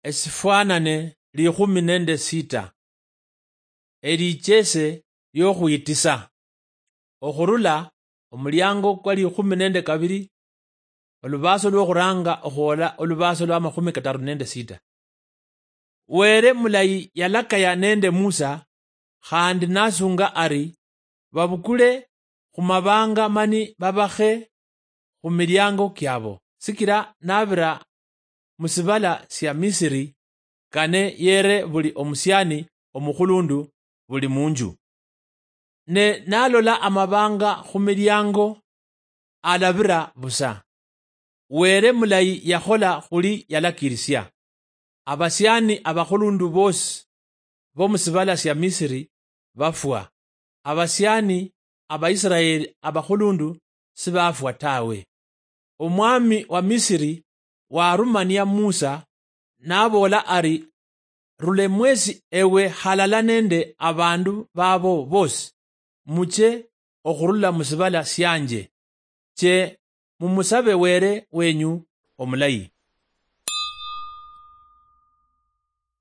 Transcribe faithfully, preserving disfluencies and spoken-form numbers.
Esifwanane likhumi nende sita. Elichese liokhwitisa. Okhurula omuliango kwa likhumi nende kabili, olubaso lwokhuranga okhwola olubaso lwa makhumi kataru nende sita. Were mulayi yalakaya nende Musa, khandi nasunga ari, babukule khumabanga mani babakhe khumiliango kiabo, sikila nabira musibala sia Misiri, kane yere buli omusiani omukhulundu buli munju. Ne nalola amabanga khumiliango, alabira busa. Were mulayi yakhola khuli yalakirisia. Abasiani abakhulundu bosi bomusibala sia Misiri bafwa. Abasiani Abaisiraeli abakhulundu sibafwa tawe. Omwami wa Misiri warumania Musa, naboola ari, rule mwesi ewe halala nende abandu babo bosi, muche okhurula musibala sianje, che mumusabe Were wenyu omulayi.